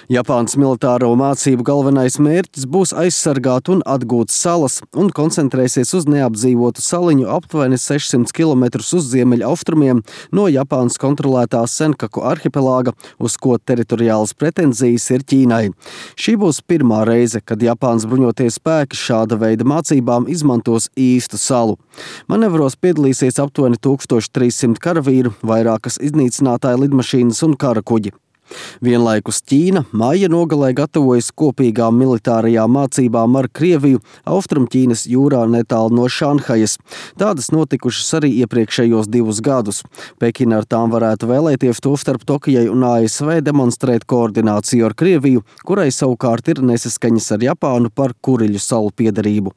Japānas militāro mācību galvenais mērķis būs aizsargāt un atgūt salas un koncentrēsies uz neapdzīvotu saliņu aptuveni 600 km uz ziemeļaustrumiem no Japānas kontrolētā Senkaku arhipelāga, uz ko teritoriālas pretenzijas ir Ķīnai. Šī būs pirmā reize, kad Japānas bruņotie spēki šāda veida mācībām izmantos īstu salu. Manevros piedalīsies aptuveni 1300 karavīru, vairākas iznīcinātāju lidmašīnas un karakuģi. Vienlaikus Ķīna maija nogalē gatavojas kopīgām militārajām mācībām ar Krieviju Austrumķīnas jūrā netālu no Šanhajas. Tādas notikušas arī iepriekšējos 2 gadus. Pekina ar tām varētu vēlēties tostarp Tokijai un ASV demonstrēt koordināciju ar Krieviju, kurai savukārt ir nesaskaņas ar Japānu par Kuriļu salu piederību.